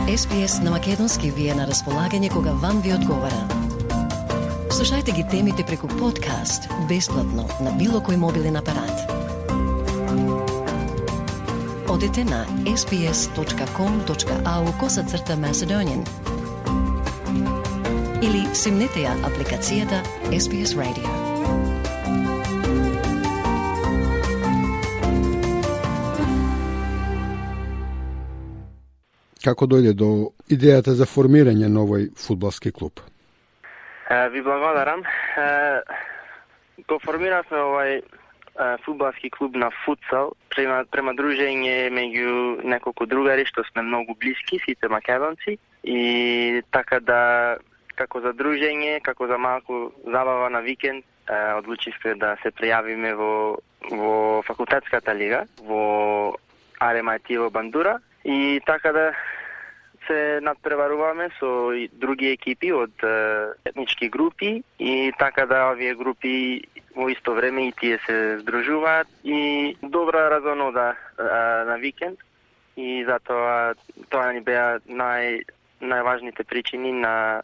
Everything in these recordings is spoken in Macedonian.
SPS на македонски ви е на располагање кога вам ви одговара. Слушајте ги темите преку подкаст, бесплатно, на било кој мобилен апарат. Одете на sbs.com.au/Macedonian или симнете ја апликацијата SBS Radio. Како дојде до идејата за формирање на овој фудбалски клуб? Ви благодарам. Го формиравме овој фудбалски клуб на футсал према дружење меѓу неколку другари што сме многу блиски, сите македонци, и така да како за дружење, како за малку забава на викенд, одлучивме да се пријавиме во факултетската лига во RMIT во Бандура. И така да се надпреваруваме со други екипи од етнички групи и така да овие групи во исто време и тие се здружуваат и добра разонода на викенд и затоа тоа ни беа најважните причини на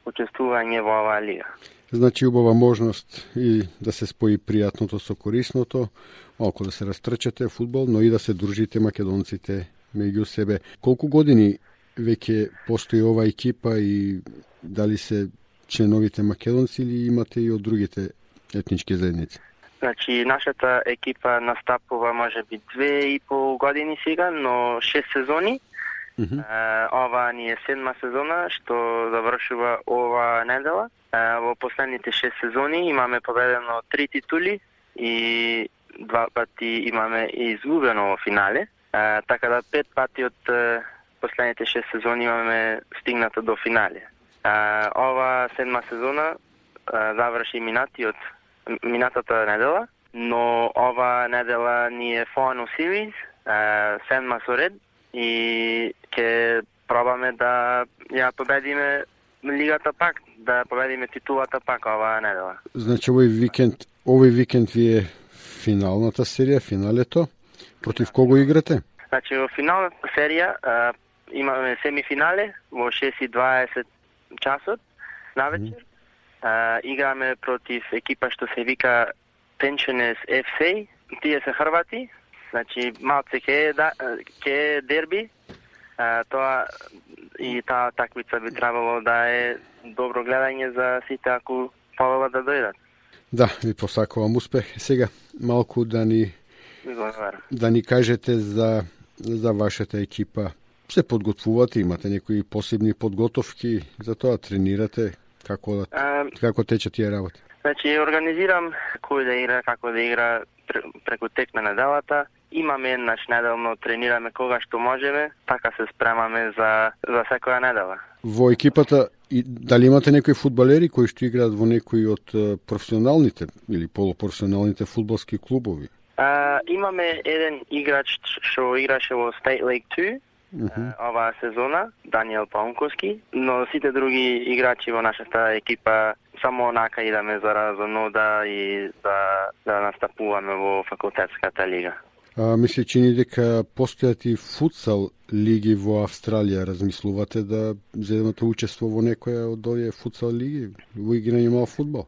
учествување во оваа лига. Значи убава можност и да се спои пријатното со корисното, малку да се растрчате фудбал, но и да се дружите македонците меѓу себе. Колку години веќе постои оваа екипа и дали се членовите македонци или имате и од другите етнички заедници? Значи, нашата екипа настапува можеби 2,5 години сега, но 6 сезони. Ова ни е 7-ма сезона, што завршува ова недела. Во последните 6 сезони имаме победено 3 титули и 2 пати имаме изгубено во финале. Така да 5 пати од последните 6 сезони имаме стигнато до финале. Ова 7-ма сезона заврши минатата недела, но ова недела ни е Final Series, 7-ма со ред, и ќе пробаме да ја победиме лигата пак, да победиме титулата пак оваа недела. Значи овој викенд ви е финалната серија, финалето. Против кого играте? Значи во финалната серија имаме семифинале во 6:20 часот навечер. Играме против екипа што се вика Pensioners FC. Тие се хрвати. Значи малце ке дерби. Тоа и таа такмица би требало да е добро гледање за сите ако повелат да дојдат. Да, ви посакувам успех. Сега малку да ни кажете за вашата екипа. Се подготвувате, имате некои посебни подготовки, за тоа тренирате, како тече тие работи? Значи, организирам кој да игра, како да игра преку тек на неделата. Имаме еднаш неделно, тренираме кога што можеме, така се спремаме за секоја недела. Во екипата, дали имате некои фудбалери кои што играат во некои од професионалните или полупрофесионалните фудбалски клубови? Имаме еден играч што играше во State League 2 оваа сезона, Даниел Паунковски, но сите други играчи во нашата екипа само онака идаме за разонода и да настапуваме во факултетската лига. Мисли, чини дека постојат и футсал лиги во Австралија. Размислувате да земете учество во некоја од овие футсал лиги во играње мал фудбал?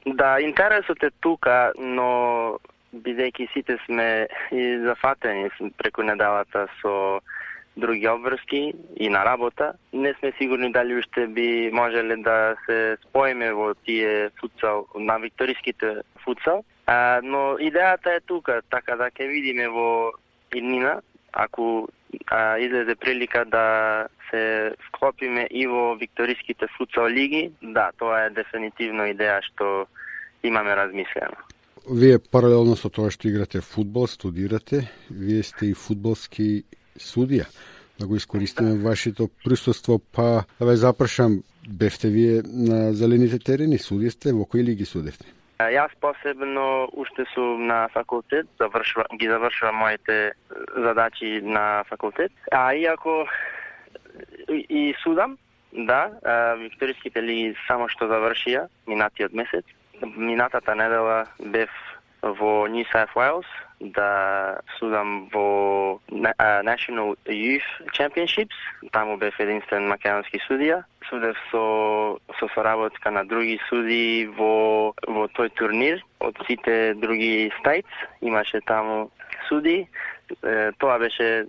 Да, интересот е тука, но бидејќи сите сме и зафатени преку неделата со други обврски и на работа, не сме сигурни дали уште би можеле да се споиме во тие футсал, на викториските футсал. Но идејата е тука, така да ќе видиме во иднина, ако излезе прилика да се вклопиме и во викториските футсал лиги, да, тоа е дефинитивно идеја што имаме размислено. Вие паралелно со тоа што играте фудбал, студирате, вие сте и фудбалски судија. Да го искористиме вашето присуство, па да ве запрашам, бевте вие на зелените терени, судисте, во кои лиги судевте? Јас посебно уште сум на факултет, ги завршувам моите задачи на факултет. Иако и судам, да, викториските лиги само што завршија минатиот месец. Минатата недела бев во New South Wales, да судам во National Youth Championships. Таму бев единствен македонски судија. Судев со соработка на други судии во тој турнир од сите други states. Имаше таму суди. Тоа беше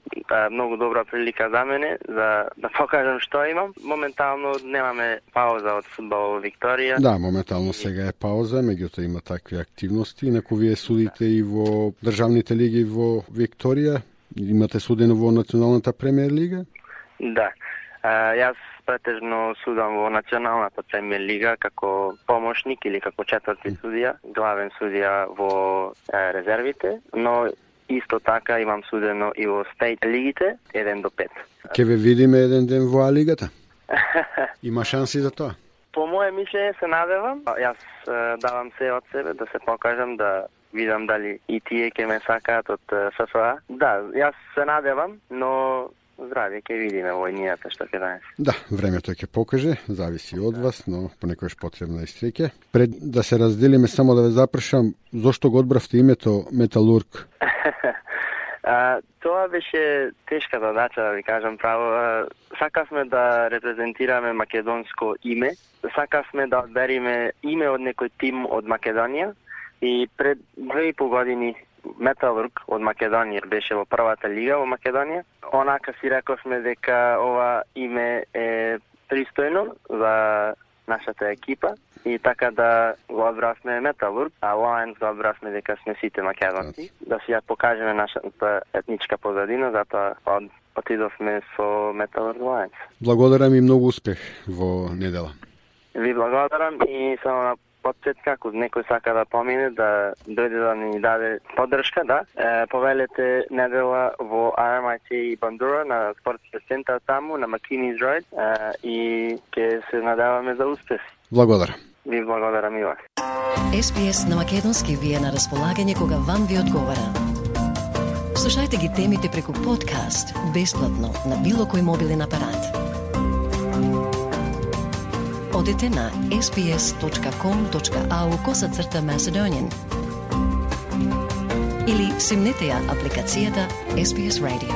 многу добра прилика за мене да покажам што имам. Моментално немаме пауза од фудбал во Викторија. Да, моментално сега е пауза, меѓутоа има такви активности. Инаку вие судите и во државните лиги во Викторија, имате судено во Националната премиер лига? Да. Јас претежно судам во Националната премиер лига како помошник или како четврти судија, главен судија во резервите, но исто така имам судено и во стейт лигите 1 до 5. Ке ве видиме еден ден во А-лигата? Има шанси за тоа? По моје мислење се надевам. Јас давам се од себе да се покажам, да видам дали и тие ќе ме сакаат од ФФА. Да, јас се надевам, но здравје ќе видиме во инијата што ќе донесе. Да, времето ќе покаже, зависи од вас, но понекогаш потребна и среќа. Пред да се разделиме, само да ве запрашам, зошто го одбравте името Металург? Тоа беше тешка задача, да ви кажам право. Сакавме да репрезентираме македонско име, сакавме да одбериме име од некој тим од Македонија и пред 2,5 години Металург од Македонија беше во првата лига во Македонија. Онака си рековме дека ова име е пристојно за нашата екипа и така да го одбравме Металург, а Lions го одбравме дека сме сите македонци, да си ја покажеме нашата етничка позадина, затоа отидовме со Металург Lions. Благодарам и многу успех во недела. Ви благодарам и само на подсетка, ако некој сака да помине, да дојде да ни даде поддршка, да. Повелете недела во RMIT и Бандура на спортскиот центар таму, на Макинис Ројд, и ќе се надеваме за успех. Благодарам. Ви благодарам и вас. SPS на македонски ви е на располагање кога вам ви одговара. Слушајте ги темите преку подкаст, бесплатно, на било кој мобилен апарат. Одете на sps.com.au/Macedonian или симнете ја апликацијата SPS Radio.